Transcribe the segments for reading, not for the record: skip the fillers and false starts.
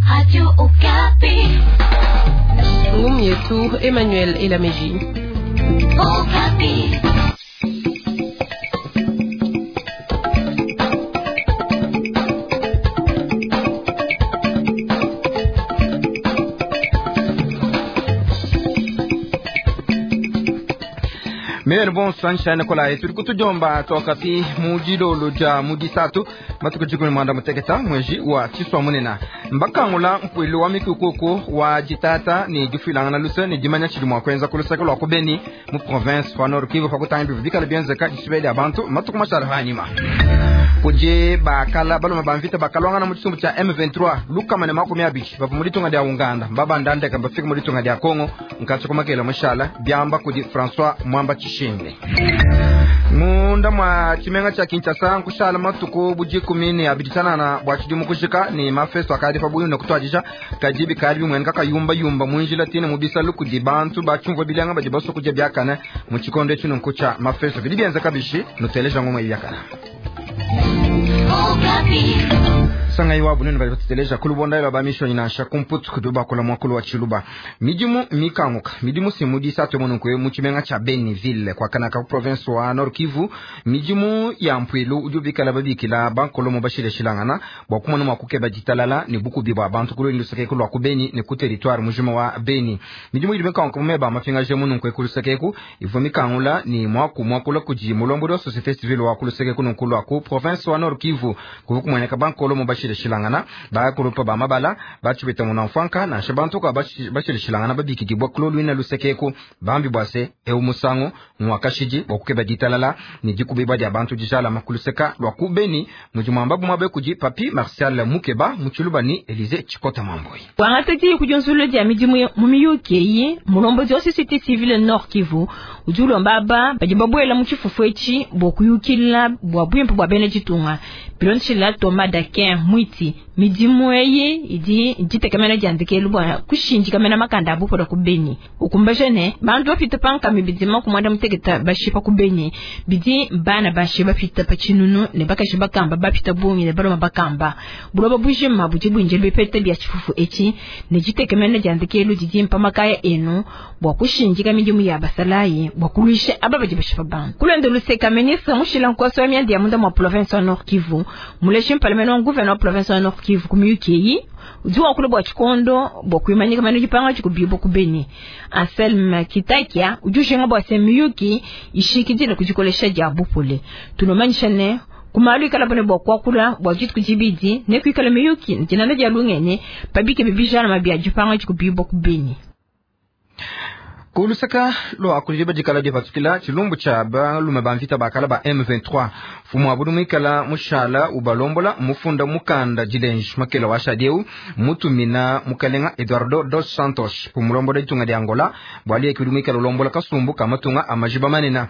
Radio Okapi. Ngumu yetu Emmanuel Elameji. Okapi. Mene bon sunshine kola tuli kutujomba twakati mu dilolo dia mu disatu matuku dikumi mwanda muteketa mweji wa tshiswa munena mbakangula mpuilu wa mikukuku wa ditata ni difuilangana luse ni dimanya tshidi mua kuenza ku luseke lua ku Beni mu province wa Nord Kivu pa kutanga bivu bikala bienzeka dishibeya dia bantu matuku mashala hanyima kudi bakala baluma ba mvita bakalwangana mu tshisumbu tshia M23 lukama ne makumi abidi bavua mu ditunga dia Uganda mbabandandeka mbafika mu ditunga dia Congo nkatshi kumakela mushala biamba kudi François Mwamba Tshishimbi munda mwa tshimenga tshia Kinshasa nkushala matuku budikumi ne abidi tshianana bua tshidimu kujika ne mafesto akadi pa buyi ne kutuadija kadi bikadi bimueneka kayumbayumba mu njila tine mu bisalu kudi bantu batshiumvua bilanga badi basua kudia biakane mu tshikondo etshi nunku tshia mafesto bidi bienzeka bishi nuteleja ngoma biakana sangayi wa bunene badi batuteleja ku lubonda lwa bamishonyi nansha ku mputu kudi bakula muakulu wa tshiluba midimu mikanguka midimu si disatu mununku mu tshimenga tshia Beniville kwakanaka ku province wa Nord Kivu midimu ya mpuilu udi ubikala babikila bankolomo bashileshilangana bua kumona mua kukeba ditalala ne bukubi bua bantu ku luendu luseke lua ku Beni ne ku territoire mujima wa Beni midimu idi mikanguka mu meba mapingaje mununku ku luseke eku ivua mikangula ni muaku muakula kudi mulombodi wa société civile wa ku luseke kununku lua ku province wa Nord Kivu kuvu kumueneka bankolomo bashileshilangana bakulupa ba mabala batshibita munamfwanka nansha bantu kwa bashileshilangana babikidibwa kuloluina lusekeku bambi bwase eu musangu mwakashidi bwa kukeba ditalala ni dikubibwa dia bantu dijalama kuluseka lwa kubeni mudi mwamba bumwabe kudi papi Martial Mukeba mutshiluba ni Elise Chikota Mamboi wangataki kujunzulu dia midimu mu miyuki eyi mulombodi wa société civile Nord Kivu udi ulomba aba badi babuela mu tshifufu etshi bua kuyukila bua buimpe bua bena ditunga bilondeshila Thomas Dakin Mwiti midimu eyi idi ditekemena dia ndekelu bua kushindika makanda a bupola ku Beni ukumbaje ne bantu bapita pankami bidima ku mwanda muteketa bashipa ku Beni bidi bana bashe bapita pa tshinunu ne bakashi bakamba bapita bungi ne baloma bakamba buloba bujima budi buinjila bipeta bia tshifufu etshi ne ditekemena dia ndekelu didi mpamakaya enu bua kushindika midimu ya basalayi bua kuluisha aba badi bashipa bantu kulonda luseka ministre mushila nkoso wa mianda ya munda mwa province wa Nord Kivu muleshi mpalamene wa gouverneur wa province wa Nord Kivu kumiyuki eyi udi wakula bua tshikondo bua kuimanyika mano dipanga tshikubibwa ku Beni Anselme Kitakia udi ushinga bua se miyuki ishikidile kudikolesha dia bupole tunomanyisha ne kumalu ikala bone bua kuakula bua dituku dibidi ne kuikala miyuki dinana dia lungene pabike bibijana mabia dipanga tshikubibwa ku Beni kulusaka lua kudi dikala dipatukila tshilumbu tshia balume ba mvita bakala ba M23 fumu abudu muikala mushala ubalombola mufunda mukanda dilenji makela wa shadieu mutumina mukalenga Eduardo dos Santos pumulombola ditunga dia Angola bwali ekidi muikala ulombola kasumbu kamatunga amajiba manena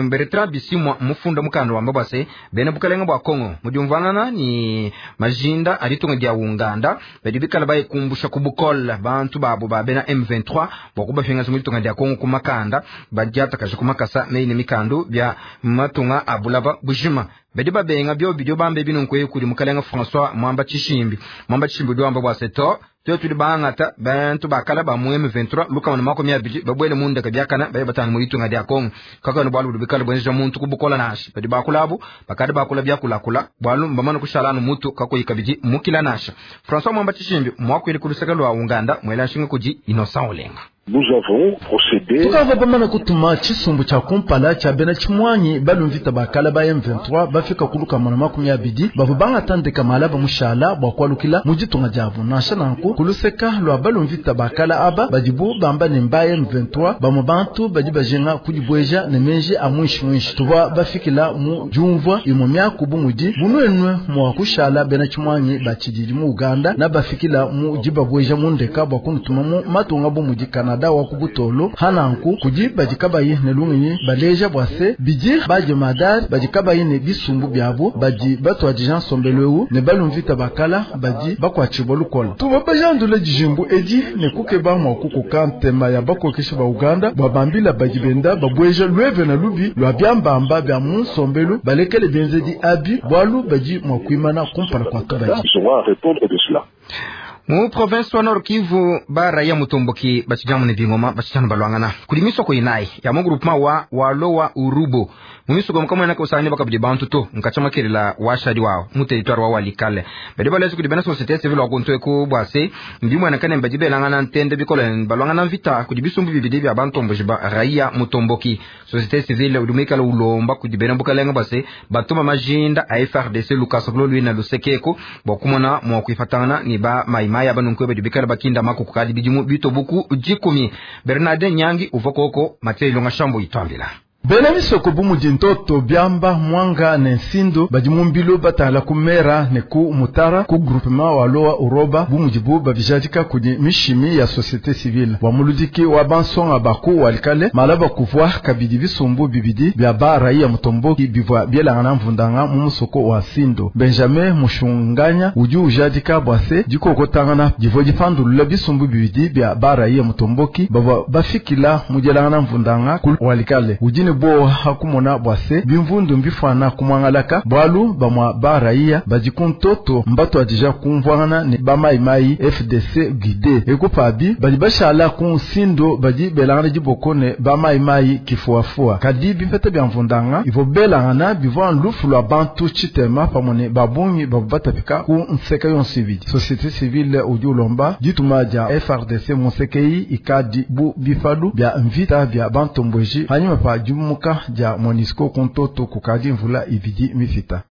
Bertrand Bisimwa mufunda mukanda wamba bwase bena bukalenga bwa Kongo mudiumvanana ni majinda aditunga dia Uganda badi bikala bayikumbusha kubukola bantu babo ba bena M23 bwa kubafinga muditunga dia Kongo kumakanda badiatakaje kumakasa meine mikandu bya matunga abulaba bujima badi babenga byo bidyo bambe binunku kudi mukalenga François Mwamba Tshishimbi Mwamba Tshishimbi udi wamba bwa seto tuyo tudi bangata bantu bakala ba mu M23 lukama na makumi abidi babwele mundeka byakana baye batanga mu itunga dia Kongo kakano bwalu budi bikala bwenzeja muntu kubukola nasha badi bakulabu bakadi bakula byakulakula bwalu mbamana kushala mutu kakoyika bidi mukila nasha François Mwamba Tshishimbi mwakwili kuluseka lwa Uganda mwela nshinga kudi Innocent Olenga Nous avons procédé tukava bamana kutuma tshisumbu tshia kumpala tshia bena tshimwanyi balumvita bakala ba M23 bafika kuluka mana makumi abidi bavua bangatandika mala bamushala bua kualukila mu ditunga diabu nansha nanku kuluseka lua balumvita bakala aba badibu bamba ne mba M23 bamwe bantu badi bajinga kudibueja ne menji a mwinshi tuvua bafikila mu diumvua imwe miaku bu mudi bunuenue mua kushala bena tshimwanyi batshididi mu Uganda na bafikila mu dibabueja mu ndeka bua kunutuma mu matunga bu mudi Kanada wa kubutolo hananku kudi badi kabayi ne lungenyi baleja bua se bidi bajemadari badi kabayi ne bisumbu biabo badi batuadija nsombelu ewu ne balumvita bakala badi bakuatshibua lukola tuba bajandula dijimbu edi ne kukeba mua kukoka ntema ya bakokesha ba Uganda bua bambila badi benda babueja lueve na lubi lua biambamba bia mu nsombelu balekele bienzedi abi bualu badi mua kuimana kumpala kua tubadi. Mu province wa Nord Kivu ba raia mutomboki bachijamu ne bingoma bachijana balwangana kuli misoko inayi ya mu groupement wa walowa urubo mu misoko mukamwena kusanya bakabidi bantu to nkacha makelela washadi wao mu territoire wa walikale badi balezi kudi bena société civile wa kuntu eku bwase mbimwena kane mbaji belangana ntende bikole balwangana mvita kudi bisumbu bibidi bya bantomboji ba raia mutomboki. Société civile udumikala ulomba kudi bena bukalenga bwase batuma majinda a FRDC Lucas Lolwina lusekeko bwa kumona mwa kuifatana ni ba maimai aba nunku badi bikala bakinda makuku kadi bidimu bitobuku jikumi. Bernard Nyangi uvokoko Mathieu Ilonga Shambo itwambila. Bena misoko bumudi ntoto byamba mwanga ne nsindo badi mumbilu batala kumera ne ku mutara ku groupement wa loa uroba bumudi bu babijadika kudi mishimi ya société civile wa muludiki wa bansonga baku walikale malaba kuvwa kabidi bisumbu bibidi bya ba raia mutomboki bivwa byelangana mvundanga mu musoko wa sindo. Benjamin Mushunganya udi ujadika bwase dikokotangana divo dipandulula bisumbu bibidi bya ba raia mutomboki bavwa bafikila mudyelangana mvundanga ku walikale udi bo hakumona bwase bimvundu mbifwana kumwangalaka bwalu bamwa ba raia badi kuntoto mbato adija kumvwangana ne bamaimai FDC guide ekupabi badi bashala ku nsindo badi belangana diboko ne bamaimai kifuafua kadi bipeta bya mvundanga ivo belangana bivwa lufu lwa bantu chitema pamone babungi babu batapika ku nseka yonso ibidi. Société civile udi ulomba dituma dia FRDC musekei ikadi bu bifalu bya mvita bya bantombweji hanyuma pa muka ja Monisco kuntoto kukadi mvula ibidi mifita.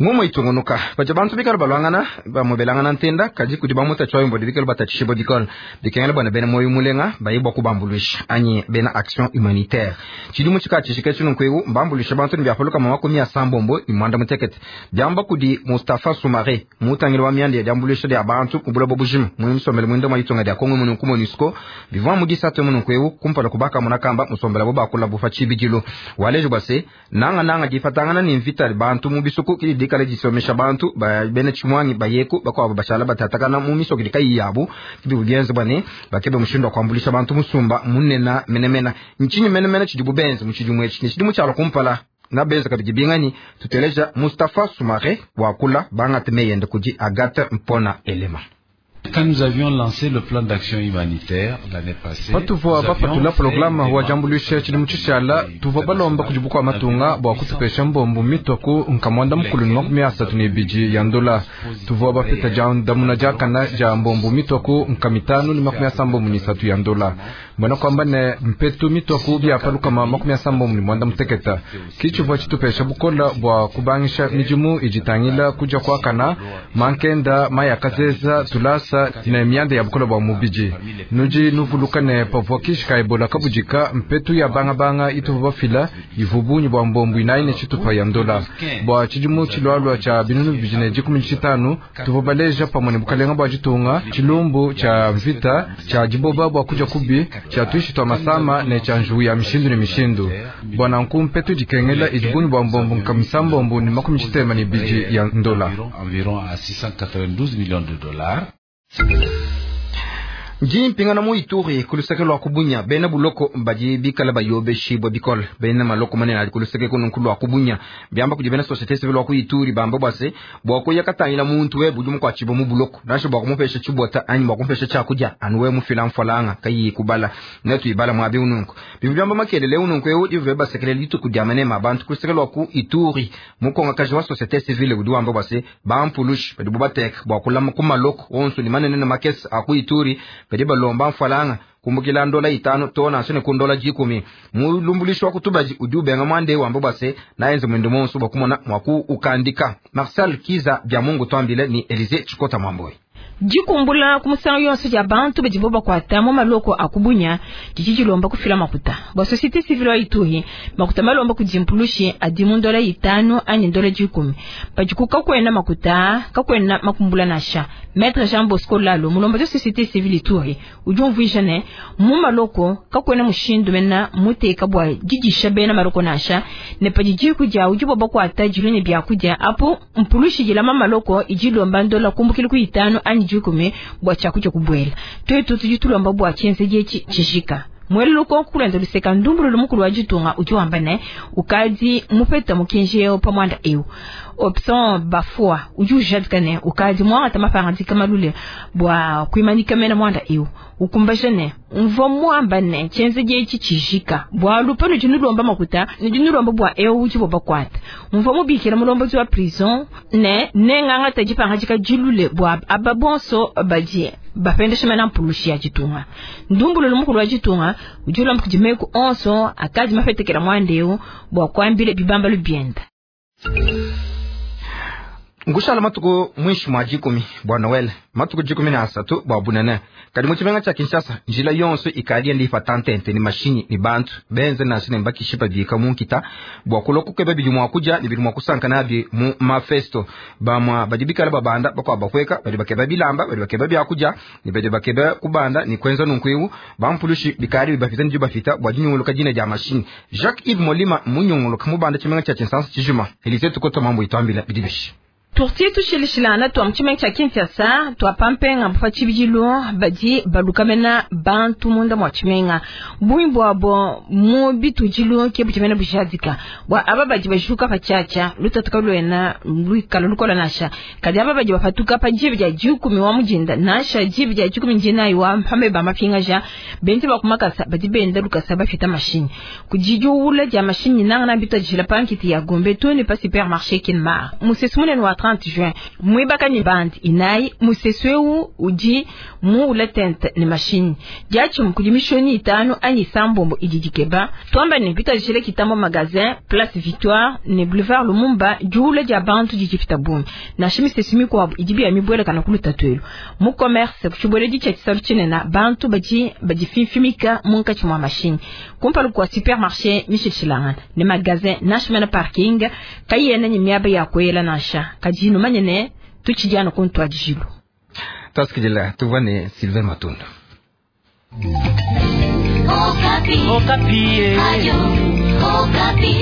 Ngumo itungunuka baja bantu bikala balwangana bamubelangana ntenda kaji kudi bamuta chwa yombo bikala batatishibo dikol bikengela bwana bena moyo mulenga bayibwa kubambulisha anyi bena action humanitaire chidimu chika chino nkwewu mbambulisha bantu ni byapaluka makumi ya sambombo imwanda mutekete byamba kudi Mustafa Sumare mutangile wa myandi ya jambulisha dia bantu kubula bobujima mwimusomele mwindo mwayitunga dia Kongo muno ku Monusco bivwa mudisatu muno nkwewu kumpala kubaka munakamba musombela bo bakula bufa chibidilo walejo base nanga nanga difatangana ni mvita bantu mu bisuku kili dikale disomesha bantu ba bene chimwangi bayeko bakwabo bashala batatakana mu miso kili kayi yabu kibi bugenze bane bakebe mushindo kwambulisha bantu musumba munena menemena nchinyi menemena chidibu benze muchidimu echi chidimu chalo kumpala na benze kabidi bingani tuteleja Mustafa Sumare wakula bangate meyende kuji Agathe Mpona Elema. Quand nous avions lancé le plan d'action humanitaire l'année passée, patuvua bapatula programa wa jambulisha tshidimu tshishala tuvua balomba kudibukwa matunga bua kutupesha mbombu mitoku nkamwanda mukulu ni 32 ya ndola. Tuvua bapeta jandamuna jakana ja mbombu mitoku nkamitanu ni 73 ya ndola. Mbona kwamba ne mpetu mitoku byapaluka 78. Kichuvua chitupesha bukola bua kubangisha mijimu ijitangila kuja kwakana mankenda mayakazeza tulasa na myanda ya bukola bwa mubiji nuji nuvulukane pavua kishika ebola kabujika mpetu ya bangabanga ituvu bafila ivubunyi bwa mbombu inaine chitupa ya ndola bwa chidimu chilwalwa cha binunu bibiji 15 tuvu baleja pamwe ne bukalenga bwa jitunga chilumbu cha mvita cha jiboba bwa kuja kubi cha tuishi twa masama ne cha njuwu ya mishindu ne mishindu bwana nku mpetu jikengela ijibunyi bwa mbombu nkamisa mbombu ni 62 ya ndola environ à 692 millions de dollars. Jimpingana mu Ituri kuluseke lwa kubunya bena buloko badi bikala bayobeshibwa bikole bena maloko manene ali kuluseke kuno lwa kubunya byamba kudi bena société civile lwa ku Ituri bamba bwase bwakuya katangila muntu we budi mukwachibo mu buloko nasho bwakumupesha chibota anyi bwakumupesha chakuja anuwe mufila mfalanga kayi kubala netu ibala mwabi ununku bibyamba makelele ununku ewu dive basekele litu kudyamane mabantu kuluseke lwa ku Ituri mukonga kaji wa société civile budi wamba bwase bampulushi badi bubateka bwakulama ku maloko onso ni manene na makesi aku Ituri badi balomba mfalanga kumbukila ndola 5 tona sone kundola 10 mulumbulisho wakutubaji udi ubenga mwande wambo base naenze mwendo monso bakumona mwaku ukandika Marcel Kiza bya Mungu twambile ni Elise Chikota Mwamboi. Dikumbula kumusango yonso ya bantu badibo bakwata mu maloko akubunya dikijilomba kufila makuta ba société civile wa Ituri makuta malomba kujimpulushi adimu ndola 5 anyi ndola 10 badikuka kwena makuta kakwena makumbula nasha Maître Jean Bosco Lalo mulomba de société civile Ituri ujumvuisha ne mu maloko kakwena mushindu mena muteka bwa jijisha bena maloko nasha ne padijiku ja ujibo bakwata jilone byakuja apo mpulushi jilama maloko ijilomba ndola kumbukili ku 5 anyi 10 bwa chakuja kubwela twetu tujitulomba bwa chense jechi chishika mweluluko kulenda luseka ndumbulu lumukulu wa jitunga ujiwamba ne ukadi mupeta mukinjeo pamwanda eu Option Bafua udi ujadika ne ukadi muangata mapangadika malule bua kuimanyika mena muanda eu. Ukumbaja ne mvua muamba ne tshienzedi etshi tshijika bualu panudi nulomba makuta nudi nulomba bua eu udi bakuata. Mvua mubikila mulombodi wa prison ne nengangata dipangadika dilule bua aba bonso badi bapendesha mena mpulushi ya ditunga. Ndumbululu mukulu wa ditunga udi ulomba kudi meku onso akadi mafetekela muanda eu bua kuambila bibambalu bienda. Nkushala matuku mwinshi mwa 10 bwa Noel, matuku 13 bwa bunene. Kadi mu tshimenga tshia Kinshasa njila yonso ikadi ndi patantente ni mashinyi ni bantu benze nansha ne mbakishipa bika mu nkita bua kulua kukeba bidi mua kudia ne bidi mua kusanka nabi mu mafesto. Bamua badi bikala babanda bakwa bakweka badi bakeba bilamba badi bakeba byakudia ne badi bakeba kubanda ni kwenza nunku bampulushi bikali bibafita ndi bafita bua dinyunguluka dina dia mashinyi. Jacques Yves Molima munyunguluka mubanda tshimenga tshia Kinshasa tshijuma. Elise Tukota mambo itwambila bidibishi. Turtie tushilishilana twa mutshimenga tshia Kinshasa twa pampenga mpa tshibidilu badi balukamena bantu munda mwa tshimenga bungi bwabo mu bitudilu ke butshimena bujadika bwa aba badi bajuka pa tshiatshia lutatuka luena luikala lukola nasha kadi aba badi bapatuka pa dibi dia 10 wa mujinda nasha dibi dia 19 wa mpambe ba mapingaja benti bakumakasa badi benda lukasa bafita mashini kudidiula dia mashini nanga na bitadjila pankiti ya Gombe tuni pa supermarché Kinmar musesu munene wa 30 juin mwibaka ni bandi inayi musesweu udi mu ulatente ni machine diachi kudi mishoni 5 anyi sambombo ididikeba twamba ni bitajile kitambo magasin place Victoire ne boulevard Lumumba jule dia bantu dikifita bumi na shimisesumi kwa idibi ya mibwele kana kuluta twelu mu commerce kuchibwele dicha chisalu chinena bantu baji bajifimfimika munkachi mwa machine kumpalu kwa supermarché Michel Chilanga ne magasin nashmena parking kayena ni miaba ya kwela nasha kajinu manyene tuchijana kuntwa jilu taskijila tuvane Sylvain Matunda. Okapi. Okapi. Radio Okapi.